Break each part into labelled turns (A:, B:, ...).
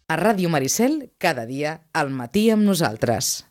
A: A Ràdio Maricel, cada dia, al matí amb nosaltres.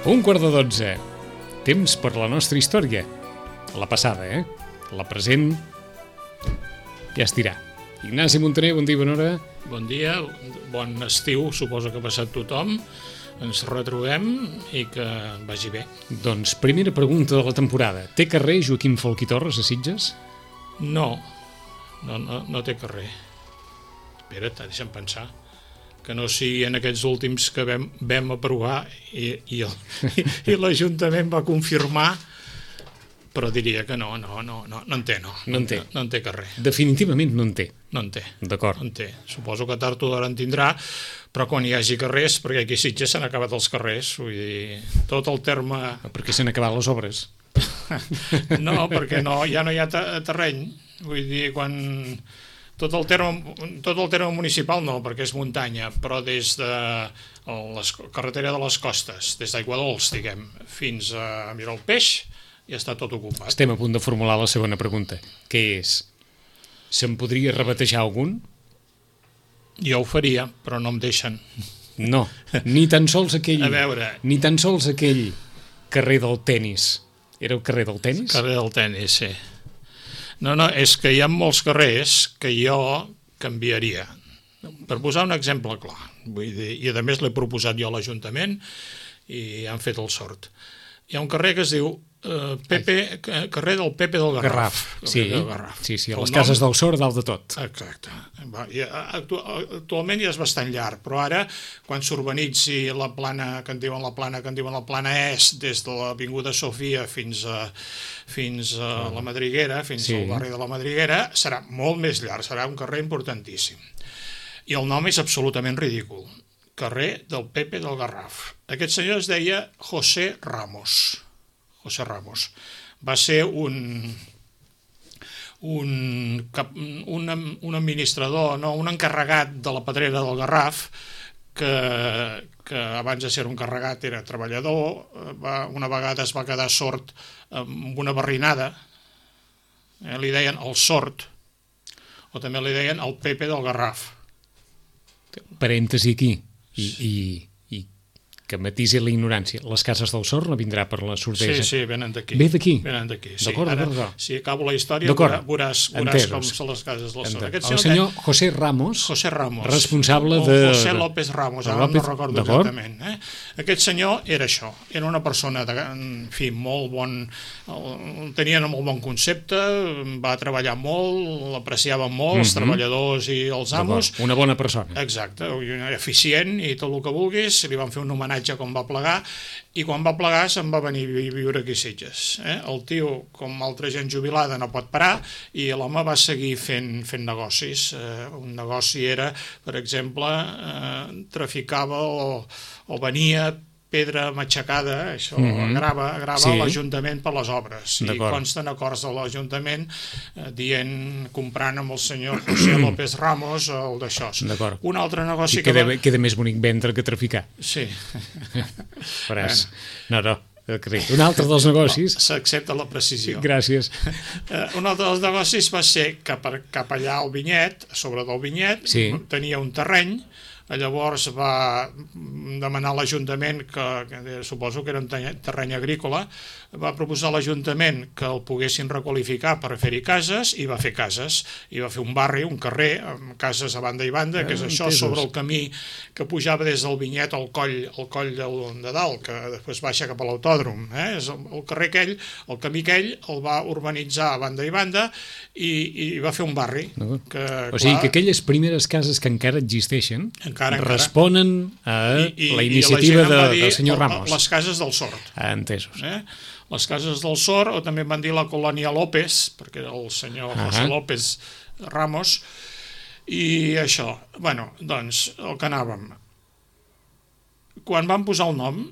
B: Un quart de 12. Temps per la nostra història. La passada, La present ja es dirà. Ignasi Montaner, bon dia, bona hora.
C: Bon dia, bon estiu, suposo que ha passat tothom. Ens retrobem i que vagi bé.
B: Doncs primera pregunta de la temporada. Té carrer Joaquim Folch i Torres a Sitges?
C: No té carrer. Espera't, deixa'm pensar. Que no sigui en aquests últims que vam aprovar i l'Ajuntament va confirmar, però diria que no en té. No en té carrer.
B: Definitivament no en té.
C: No en té.
B: D'acord.
C: No en té. Suposo que tard o d'hora en tindrà, però quan hi hagi carrers, perquè aquí a Sitges s'han acabat els carrers, vull dir, tot el terme...
B: Perquè s'han acabat les obres.
C: No, perquè ja no hi ha terreny. Vull dir, quan... Tot el terme municipal no, perquè és muntanya, però des de la carretera de les Costes, des d'Aiguadols, diguem, fins a Miralpeix, ja està tot ocupat.
B: Estem a punt de formular la segona pregunta, que és, se'n podria rebatejar algun?
C: Jo ho faria, però no em deixen.
B: No, ni tan sols aquell...
C: A veure...
B: Ni tan sols aquell carrer del tenis. Era el carrer del tenis?
C: Carrer del tenis, sí. No, és que hi ha molts carrers que jo canviaria. Per posar un exemple clar, vull dir, i a més l'he proposat jo a l'Ajuntament i han fet el sort. Hi ha un carrer que es diu carrer del Pepe del Garraf.
B: Sí, a les cases del Sor, dalt de tot.
C: Exacte. Actualment ja és bastant llarg, però ara, quan s'urbanitzi la plana, que en diuen la plana est, des de l'Avinguda Sofia fins a la Madriguera, fins al barri de la Madriguera, serà molt més llarg, serà un carrer importantíssim. I el nom és absolutament ridícul. Carrer del Pepe del Garraf. Aquest senyor es deia José Ramos. Va ser un administrador, un encarregat de la pedrera del Garraf, que abans de ser un encarregat era treballador, una vegada es va quedar sord amb una barrinada, li deien el sord, o també li deien el Pepe del Garraf.
B: Parèntesi aquí, i que matisi la ignorància. Les cases del Sor no vindrà per la sordeja?
C: Sí, venen d'aquí.
B: Ve d'aquí?
C: Venen d'aquí, sí.
B: D'acord.
C: Si acabo la història, veuràs com són les cases del Sor.
B: El senyor José Ramos, responsable de...
C: José López Ramos, ara no recordo exactament. Aquest senyor era això, era una persona, en fi, molt bon, tenia molt bon concepte, va treballar molt, l'apreciava molt, els treballadors i els amos.
B: Una bona persona.
C: Exacte, eficient i tot el que vulguis, li van fer un homenatge com va plegar, i quan va plegar se'n va venir a viure aquí a Sitges. El tio, com altra gent jubilada, no pot parar, i l'home va seguir fent negocis. Un negoci era, per exemple, traficava o venia pedra matxacada, això, grava a l'Ajuntament per les obres. I consten acords de l'Ajuntament comprant amb el senyor José López Ramos el d'això. Un altre negoci que...
B: Queda més bonic vendre que traficar.
C: Sí.
B: Un altre dels negocis...
C: S'accepta la precisió.
B: Gràcies.
C: Un altre dels negocis va ser cap allà al vinyet, a sobre del vinyet, tenia un terreny. Llavors va demanar a l'Ajuntament, que suposo que era un terreny agrícola, va proposar a l'Ajuntament que el poguessin requalificar per fer-hi cases, i va fer cases, i va fer un barri, un carrer, amb cases a banda i banda, que és això, sobre el camí que pujava des del vinyet al coll de dalt, que després baixa cap a l'autòdrom. És el carrer aquell, el camí aquell, el va urbanitzar a banda i banda, i va fer un barri.
B: O sigui que aquelles primeres cases que encara existeixen responen a la iniciativa del senyor Ramos.
C: Les cases del Sort.
B: Entesos.
C: Les cases del Sort, o també van dir la colònia López, perquè era el senyor José López Ramos, i això. Bueno, doncs, el que anàvem. Quan van posar el nom,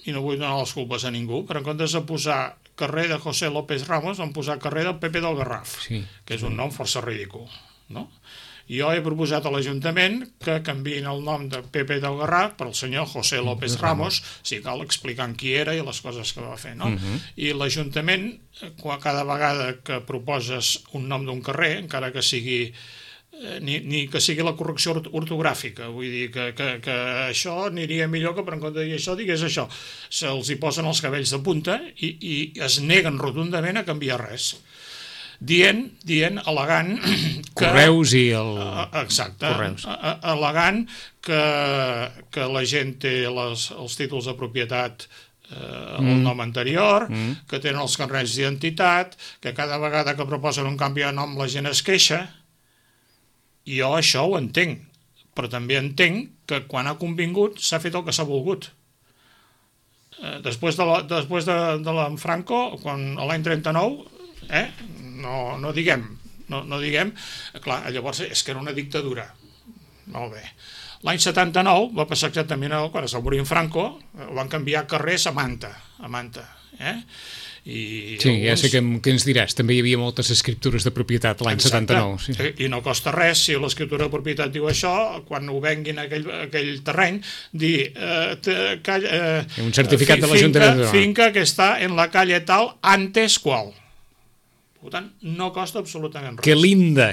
C: i no vull donar les culpes a ningú, però en comptes de posar carrer de José López Ramos, van posar carrer del Pepe del Garraf, que és un nom força ridícul, no? Jo he proposat a l'Ajuntament que canviïn el nom de Pepe del Garraf per el senyor José López Ramos, si cal explicant qui era i les coses que va fer, no? I l'Ajuntament, cada vegada que proposes un nom d'un carrer, encara que sigui ni que sigui la correcció ortogràfica, vull dir que això aniria millor que per en compte de dir això digués això, se'ls hi posen els cabells de punta i es neguen rotundament a canviar res, dient, al·legant que...
B: Correus i el...
C: Exacte, al·legant que la gent té els títols de propietat el nom anterior, que tenen els carnets d'identitat, que cada vegada que proposen un canvi de nom la gent es queixa. Jo això ho entenc, però també entenc que quan ha convingut s'ha fet el que s'ha volgut. Després de l'en Franco, l'any 39, no diguem, clar, llavors és que era una dictadura. Molt bé. L'any 79 va passar exactament quan es va morir en Franco, van canviar carrers a Manta,
B: Sí, ja sé què ens diràs. També hi havia moltes escriptures de propietat l'any 79.
C: I no costa res, si l'escriptura de propietat diu això, quan ho venguin a aquell terreny, dir...
B: un certificat de l'Ajuntament.
C: Finca que està en la calle tal, antes qual. Per tant, no costa absolutament res.
B: Que linda,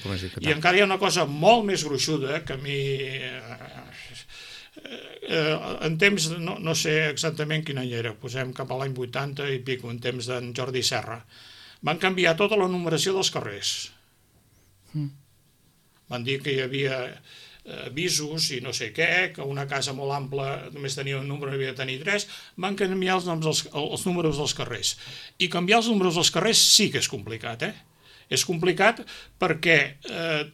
B: com es diu.
C: I encara hi ha una cosa molt més gruixuda que a mi... en temps, no sé exactament quin any era, posem cap a l'any 80 i pico, en temps d'en Jordi Serra, van canviar tota la numeració dels carrers. Van dir que hi havia avisos i no sé què, que una casa molt ampla només tenia un número, havia de tenir 3, van canviar els números dels carrers. I canviar els números dels carrers sí que és complicat, És complicat perquè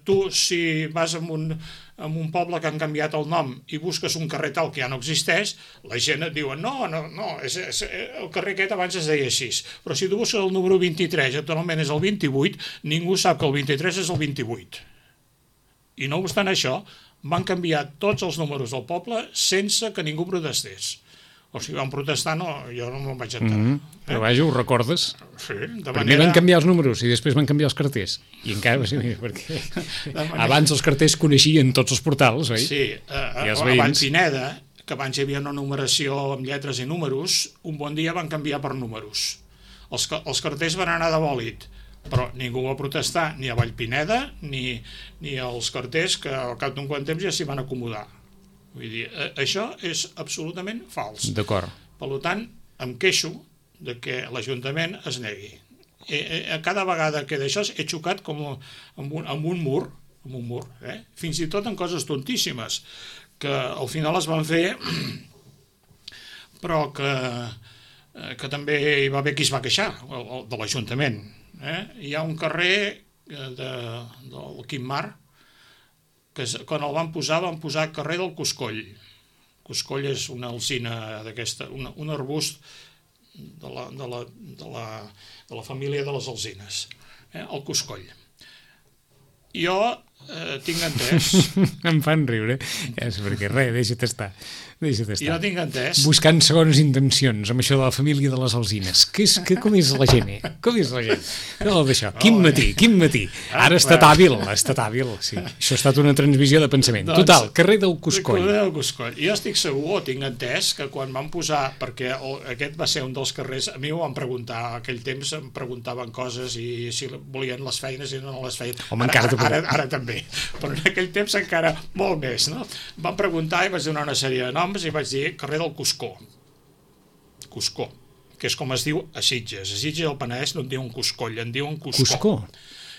C: tu, si vas en un poble que han canviat el nom i busques un carrer tal que ja no existeix, la gent et diuen no, el carrer aquest abans es deia així, però si tu busques el número 23 i actualment és el 28, ningú sap que el 23 és el 28. I no obstant això, van canviar tots els números del poble sense que ningú protestés. O sigui, van protestar, jo no me'n vaig enterar.
B: Però vaja, ho recordes?
C: Sí,
B: primer van canviar els números i després van canviar els carters. I encara va ser perquè abans els carters coneixien tots els portals, oi?
C: Sí, abans Pineda, que abans hi havia una numeració amb lletres i números, un bon dia van canviar per números. Els carters van anar de bòlit, però ningú va protestar, ni a Vallpineda ni els carters, que al cap d'un quant temps ja s'hi van acomodar. Vull dir, això és absolutament fals.
B: D'acord.
C: Per tant, em queixo de que l'Ajuntament es negui. Cada vegada que d'això he xocat com amb un mur, fins i tot en coses tontíssimes, que al final es van fer, però que també hi va haver qui es va queixar, de l'Ajuntament. Hi ha un carrer del Quimar, que quan el van posar carrer del Coscoll. Coscoll és una alzina d'aquesta, un arbust de la família de les alzines, el Coscoll. Jo tinc entès...
B: Em fan riure, és perquè res, deixa't estar.
C: Jo tinc entès...
B: Buscant segones intencions amb això de la família de les alzines. Com és la gent, Com és la gent? No, d'això. Quin matí. Ara ha estat hàbil, sí. Això ha estat una transmissió de pensament. Total, carrer del Coscoll.
C: Jo estic segur, tinc entès, que quan van posar, perquè aquest va ser un dels carrers, a mi ho van preguntar, aquell temps em preguntaven coses i si volien les feines i no les feien. Ara també, però en aquell temps encara molt més, no? Van preguntar i vaig donar una sèrie de noms i vaig dir carrer del Cuscó, que és com es diu a Sitges. A Sitges el Penedès no en diuen Cuscoll, en diuen Cuscó.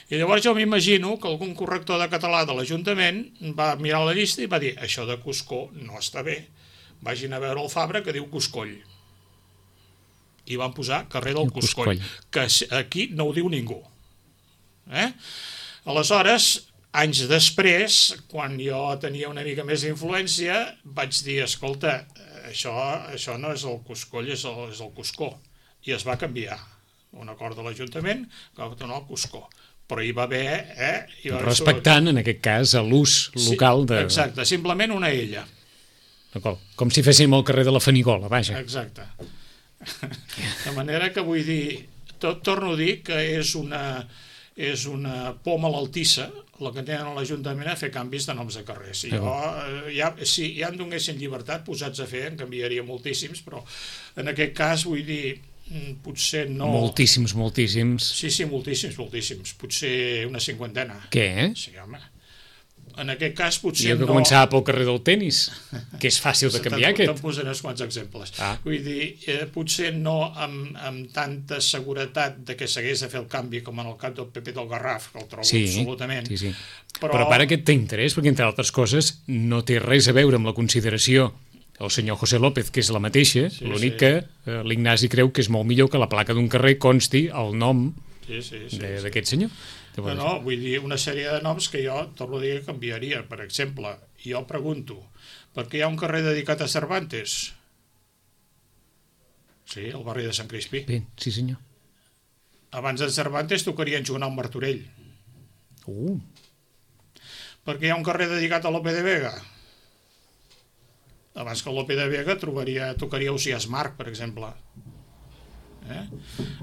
C: I llavors jo m'imagino que algun corrector de català de l'Ajuntament va mirar la llista i va dir això de Cuscó no està bé, vagin a veure el Fabra que diu Cuscoll. I van posar carrer del Cuscoll, que aquí no ho diu ningú. Aleshores, anys després, quan jo tenia una mica més d'influència, vaig dir, escolta, això no és el Cuscoll, és el Cuscó. I es va canviar. Un acord de l'Ajuntament que va donar el Cuscó. Però hi va haver...
B: Respectant, en aquest cas, l'ús local de...
C: Exacte, simplement una illa.
B: D'acord. Com si féssim el carrer de la Fanigola, vaja.
C: Exacte. De manera que vull dir, torno a dir que és una por malaltissa la que tenen a l'Ajuntament a fer canvis de noms de carrers. Si ja em donessin llibertat posats a fer, en canviaria moltíssims, però en aquest cas vull dir, potser no...
B: Moltíssims.
C: Sí, moltíssims. Potser una cinquantena.
B: Què?
C: Sí, home. En aquest cas potser
B: no... I que començava pel carrer del tenis, que és fàcil de canviar, aquest.
C: Te'n posaré uns quants exemples.
B: Ah.
C: Vull dir, potser no amb tanta seguretat de que s'hagués de fer el canvi com en el cap del PP del Garraf, que el trobo absolutament.
B: Sí. Però per aquest té interès, perquè entre altres coses no té res a veure amb la consideració el senyor José López, que és la mateixa, l'únic que l'Ignasi creu que és molt millor que la placa d'un carrer consti el nom d'aquest senyor.
C: No, vull dir, una sèrie de noms que jo, torno a dir, que canviaria. Per exemple, jo pregunto, per què hi ha un carrer dedicat a Cervantes? Sí, al barri de Sant Crispí.
B: Bé, sí senyor.
C: Abans de Cervantes tocarien jugar al Martorell. Per què hi ha un carrer dedicat a Lope de Vega? Abans que Lope de Vega tocaria Ausiàs Marc, per exemple.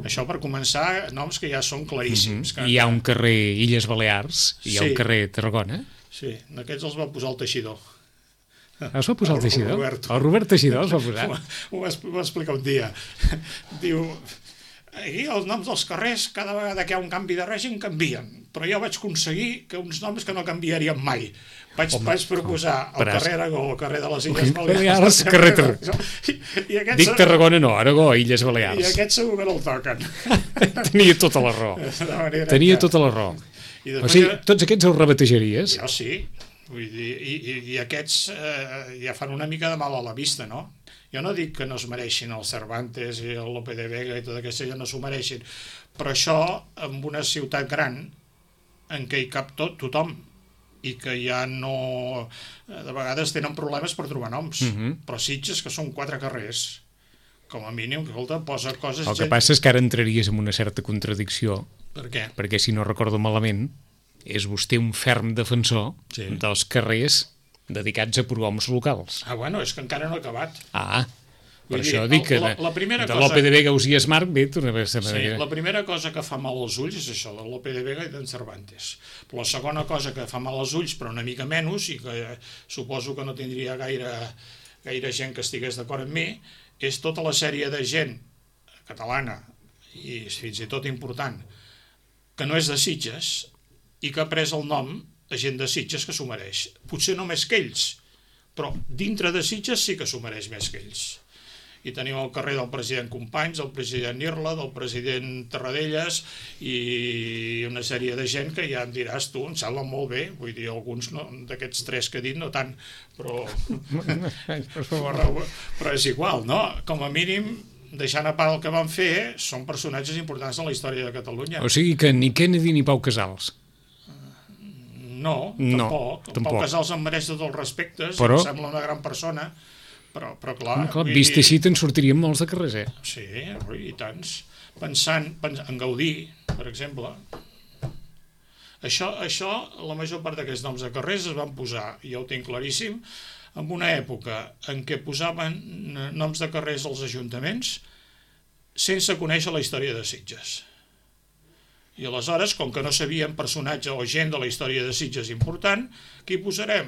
C: Això per començar, noms que ja són claríssims.
B: Hi ha un carrer Illes Balears, hi ha un carrer Tarragona.
C: Sí, aquests els va posar el Teixidor.
B: Es va posar el Teixidor? El Robert Teixidor els va posar?
C: Ho va explicar un dia. Diu, aquí els noms dels carrers, cada vegada que hi ha un canvi de règim, canvien. Però jo vaig aconseguir que uns noms que no canviarien mai. Vaig proposar el carrer Aragó, el carrer de les Illes Balears,
B: carrer Tarragona. Dic Tarragona no, Aragó, Illes Balears.
C: I aquests segur que no el toquen.
B: Tenia tota la raó. Tota la raó. O sigui, tots aquests els rebatejaries?
C: Jo sí. Vull dir, i aquests ja fan una mica de mal a la vista, no? Jo no dic que no es mereixin el Cervantes i el Lope de Vega i tota aquesta gent no s'ho mereixin, però això en una ciutat gran en què hi cap tothom i que ja no... de vegades tenen problemes per trobar noms, però Sitges, que són 4 carrers, com a mínim, que posa coses...
B: El que passa és que ara entraries en una certa contradicció.
C: Per què?
B: Perquè, si no recordo malament, és vostè un ferm defensor dels carrers dedicats a prohoms locals.
C: Bueno, és que encara no he acabat.
B: Per això dic que de Lope de Vega, Ausiàs Marc, bé, torna a ser...
C: Sí, la primera cosa que fa mal als ulls és això, de Lope de Vega i d'en Cervantes. Però la segona cosa que fa mal als ulls, però una mica menys, i que suposo que no tindria gaire gent que estigués d'acord amb mi, és tota la sèrie de gent catalana, i fins i tot important, que no és de Sitges, i que ha pres el nom a gent de Sitges que s'ho mereix. Potser no més que ells, però dintre de Sitges sí que s'ho mereix més que ells. I tenim el carrer del president Companys, del president Irla, del president Tarradellas i una sèrie de gent que ja em diràs tu, em sembla molt bé, vull dir, alguns d'aquests 3 que he dit no tant, però és igual, no? Com a mínim, deixant a part el que van fer, són personatges importants en la història de Catalunya.
B: O sigui que ni Kennedy ni Pau Casals.
C: No, tampoc. Pau Casals em mereix tots els respectes, em sembla una gran persona, però clar...
B: Vist així te'n sortirien molts de carrers,
C: Sí, i tants. Pensant en Gaudí, per exemple. Això, la major part d'aquests noms de carrers es van posar, i jo ho tinc claríssim, en una època en què posaven noms de carrers als ajuntaments sense conèixer la història de Sitges. I aleshores, com que no sabíem personatge o gent de la història de Sitges important, qui posarem?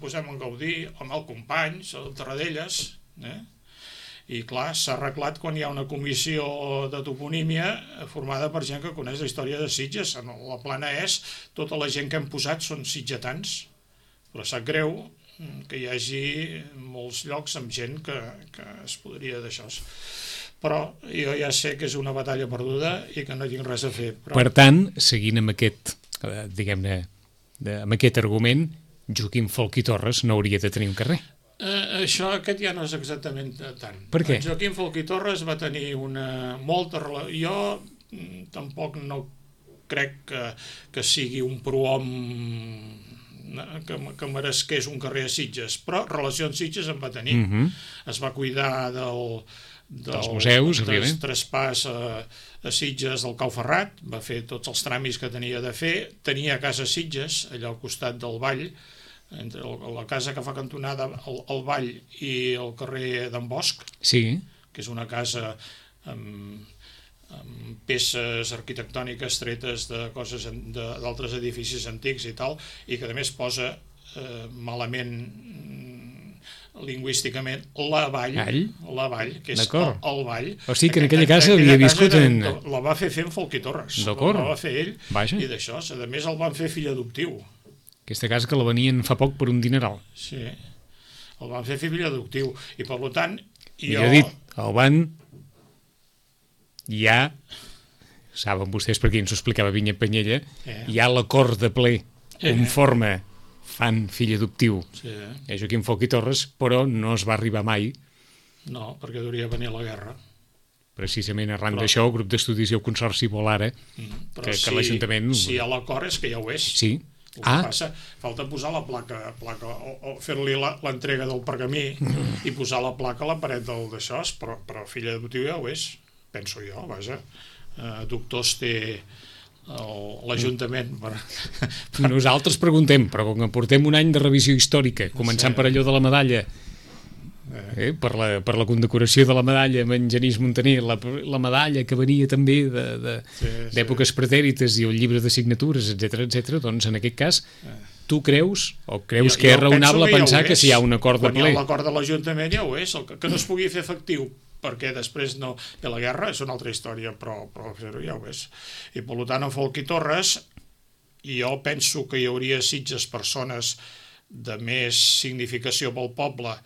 C: Posem en Gaudí, amb el Companys, el Tarradellas. I clar, s'ha arreglat quan hi ha una comissió de toponímia formada per gent que coneix la història de Sitges. La plana és, tota la gent que hem posat són sitgetans, però sap greu que hi hagi molts llocs amb gent que es podria d'això. Però jo ja sé que és una batalla perduda i que no tinc res a fer.
B: Per tant, seguint amb aquest, diguem-ne, amb aquest argument, Joaquim Folch i Torres no hauria de tenir un carrer.
C: Aquest ja no és exactament tant.
B: Per què?
C: Joaquim Folch i Torres va tenir una molta relació. Jo tampoc no crec que sigui un prohom que meresqués un carrer a Sitges, però relacions Sitges en va tenir. Es va cuidar dels
B: museus,
C: del traspàs a Sitges del Cau Ferrat, va fer tots els tràmits que tenia de fer, tenia casa a Sitges, allà al costat del Vall, entre la casa que fa cantonada al Vall i el carrer d'en Bosch,
B: sí,
C: que és una casa amb peces arquitectòniques tretes de coses d'altres edificis antics i tal, i que a més posa malament lingüísticament la Vall, que és el Vall.
B: O sigui que en aquella casa havia viscut
C: la va fer en Folch i Torres, la va fer ell, i d'això, a més el van fer fill adoptiu.
B: Aquesta casa que la venien fa poc per un dineral.
C: Sí, el van fer fill adoptiu, i per tant
B: el van ja, saben vostès per qui ens ho explicava Vinyet Penyella, hi ha l'acord de ple conforme fan fill adoptiu a Joaquim Folch i Torres, però no es va arribar mai.
C: No, perquè hauria de venir la guerra.
B: Precisament arran d'això, el grup d'estudis i el consorci vol ara que l'Ajuntament...
C: Si hi ha l'acord és que ja ho és.
B: Sí.
C: El que passa, falta posar la placa o fer-li l'entrega del pergamí i posar la placa a la paret d'això, però fill adoptiu ja ho és, penso jo, vaja. Doctors té l'Ajuntament.
B: Nosaltres preguntem, però com que portem un any de revisió històrica, començant per allò de la medalla, per la condecoració de la medalla amb en Genís Montaner, la medalla que venia també d'èpoques pretèrites i el llibre de signatures, etc., doncs en aquest cas tu creus que és raonable pensar que si hi ha un acord de ple...
C: Quan hi ha l'acord de l'Ajuntament ja ho és, que no es pugui fer efectiu perquè després no ve la guerra és una altra història, però fer-ho ja ho és. I per tant en Folch i Torres jo penso que hi hauria a Sitges persones de més significació pel poble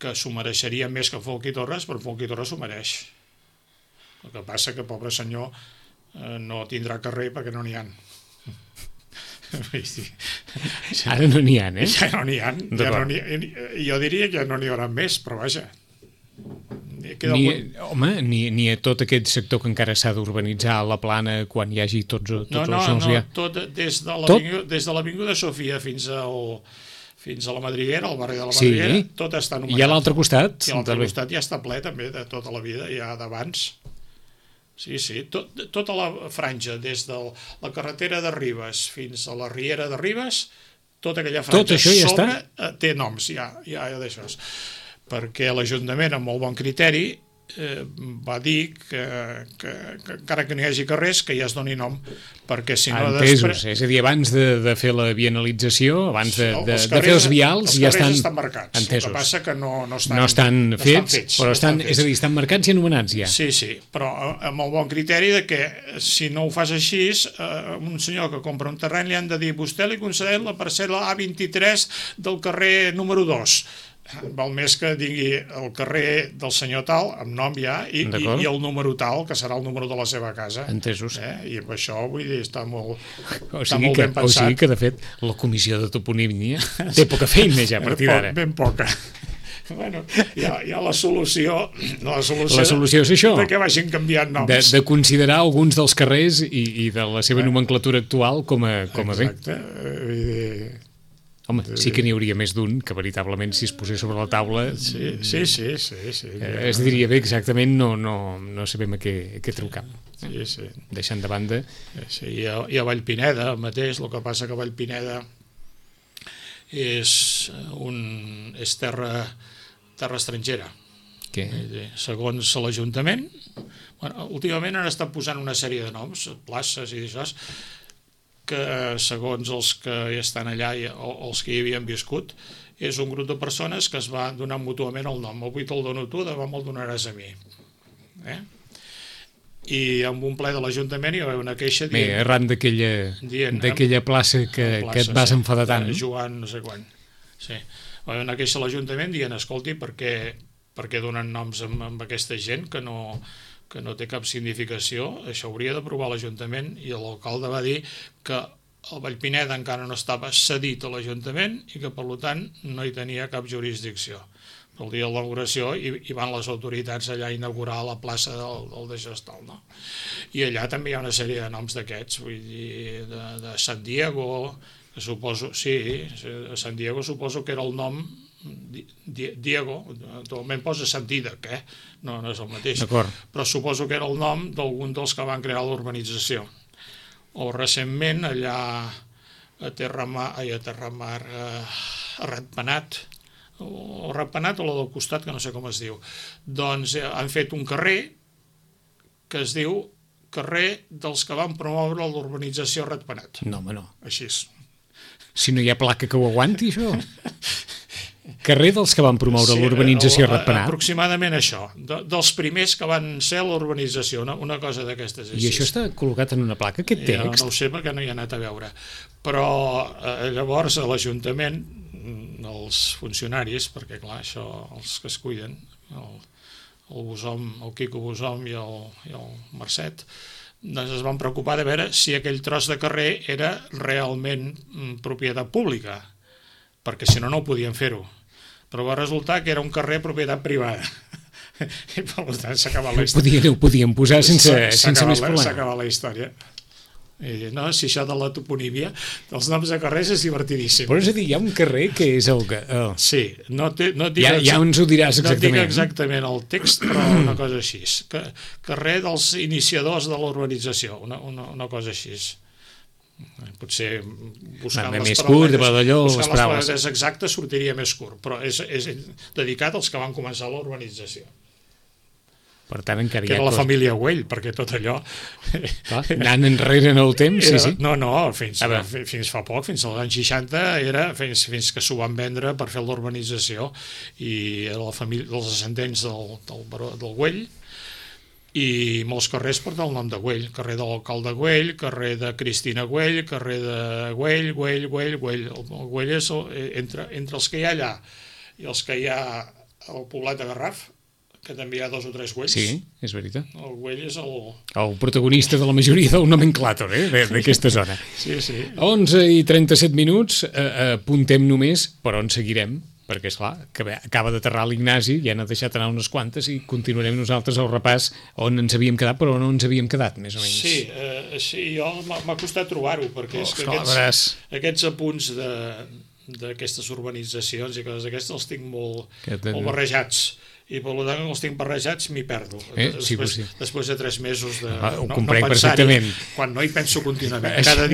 C: que s'ho mereixerien més que Folch i Torres, però Folch i Torres s'ho mereix. El que passa que, pobre senyor, no tindrà carrer perquè no n'hi ha.
B: Ara no n'hi ha,
C: Ja no n'hi ha. Jo diria que ja no n'hi haurà més, però vaja.
B: Ni a tot aquest sector que encara s'ha d'urbanitzar a la Plana quan hi hagi tots els...
C: No, tot des de l'Avinguda Sofia fins a la Madriguera, al barri de la Madriguera, tot està anomenat.
B: I a l'altre costat?
C: I a l'altre costat ja està ple també de tota la vida, ja d'abans. Sí, tota la franja, des de la carretera de Ribes fins a la Riera de Ribes, tota aquella franja sobre té noms, ja d'això. Perquè l'Ajuntament, amb molt bon criteri, va dir que encara que no hi hagi carrers, que ja es doni nom, perquè si no...
B: Entesos, és a dir, abans de fer la vianalització, abans de fer els vials, ja estan...
C: Els carrers estan marcats, el que passa que no
B: estan fets, però estan marcats i anomenats ja.
C: Sí, però amb el bon criteri de que si no ho fas així, un senyor que compra un terreny li han de dir vostè li concedeix la parcel·la A23 del carrer número 2. Val més que digui el carrer del senyor tal, amb nom ja, i el número tal, que serà el número de la seva casa.
B: Entesos.
C: I amb això, vull dir, està molt
B: ben pensat. O sigui que, de fet, la comissió de toponímia té poca feina ja a partir d'ara.
C: Ben poca. Bueno, hi ha la solució... La
B: solució és això.
C: De que vagin canviant noms.
B: De considerar alguns dels carrers i de la seva nomenclatura actual com a bé.
C: Exacte. Vull dir...
B: Home, sí que n'hi hauria més d'un que veritablement si es posés sobre la taula
C: sí.
B: Es diria bé exactament no sabem a què treu cap.
C: Sí.
B: Deixant de banda
C: i a Vallpineda mateix, el que passa que Vallpineda és terra estrangera.
B: Què?
C: Segons l'Ajuntament, últimament han estat posant una sèrie de noms, places i això, que segons els que estan allà o els que hi havien viscut, és un grup de persones que es va donar mútuament el nom. Avui te'l dono tu, demà me'l donaràs a mi. I amb un ple de l'Ajuntament hi va haver una queixa dient...
B: arran d'aquella plaça que et vas enfadar tant.
C: Joan no sé quan. Sí. Va haver una queixa a l'Ajuntament dient, escolti, per què donen noms amb aquesta gent que no té cap significació? Això hauria d'aprovar l'Ajuntament, i l'alcalde va dir que el Vallpineda encara no estava cedit a l'Ajuntament i que per tant no hi tenia cap jurisdicció. el dia de l'inauguració, i van les autoritats allà a inaugurar la plaça del de Gestal, no? I allà també hi ha una sèrie de noms d'aquests, vull dir, de San Diego, que suposo, sí, a San Diego suposo que era el nom Diego, actualment posa Sant Dídac, no és el mateix, però suposo que era el nom d'algun dels que van crear l'urbanització. O recentment allà a Terramar, a Ratpenat, o Ratpenat o la del costat, que no sé com es diu, doncs han fet un carrer que es diu carrer dels que van promoure l'urbanització Ratpenat.
B: No, home, no.
C: Així és.
B: Si no hi ha placa que ho aguanti, això... Carrer dels que van promoure l'urbanització Ratpenat.
C: Aproximadament això, dels primers que van ser l'urbanització, una cosa d'aquestes.
B: I això està col·locat en una placa, aquest text?
C: No ho sé perquè no hi he anat a veure, però llavors a l'Ajuntament, els funcionaris, perquè clar, això, els que es cuiden, el Busom, el Quico Busom i el Mercet, doncs es van preocupar de veure si aquell tros de carrer era realment propietat pública, perquè si no, no ho podien fer-ho. Però va resultar que era un carrer propietat privada. I per tant s'ha acabat la història.
B: Ho podien posar sense més problema.
C: S'ha acabat la història. I no, si això de la toponímia, dels noms de carrers és divertidíssim.
B: Però és a dir, hi ha un carrer que és el que...
C: Sí,
B: ja ens ho diràs exactament.
C: No dic exactament el text, però una cosa així. Carrer dels iniciadors de l'urbanització, una cosa així. Potser buscant les paraules exactes sortiria més curt, però és dedicat als que van començar l'urbanització.
B: Per tant, encara
C: que era la família Güell, perquè tot allò...
B: Anant enrere en el temps, sí.
C: No, fins fa poc, fins als anys 60, era fins que s'ho van vendre per fer l'urbanització, i era la família dels descendents del Güell, i molts carrers porten el nom de Güell, carrer de l'alcalde Güell, carrer de Cristina Güell, carrer de Güell. El Güell és entre els que hi ha allà i els que hi ha al poblat de Garraf, que també hi ha 2 o 3 Güells.
B: Sí, és veritat.
C: El Güell és
B: el protagonista de la majoria del nomenclàtor, d'aquesta zona.
C: Sí.
B: 11:37, apuntem només per on seguirem, perquè, esclar, acaba d'aterrar l'Ignasi, ja n'ha deixat anar unes quantes i continuarem nosaltres el repàs on ens havíem quedat, però on no ens havíem quedat, més o menys.
C: Sí, jo m'ha costat trobar-ho, perquè és que aquests apunts d'aquestes urbanitzacions i coses d'aquestes els tinc molt barrejats, i per tant els tinc barrejats m'hi perdo. Després de 3 mesos de no pensar-hi, quan no hi penso contínuament, cada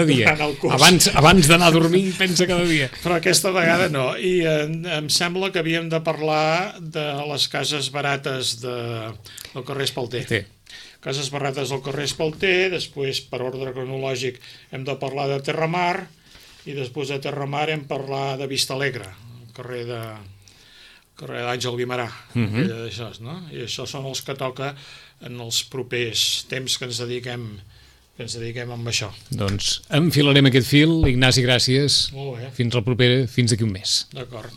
C: dia
B: abans d'anar a dormir pensa cada dia,
C: però aquesta vegada no. I em sembla que havíem de parlar de les cases barates del carrer Espalter. Cases barates del carrer Espalter, després per ordre cronològic hem de parlar de Terramar, i després de Terramar hem parlat de Vistalegre, el carrer d'Àngel Guimerà. I això són els que toca en els propers temps que ens dediquem amb això.
B: Doncs enfilarem aquest fil. Ignasi, gràcies.
C: Molt bé.
B: Fins la propera, fins d'aquí un mes.
C: D'acord.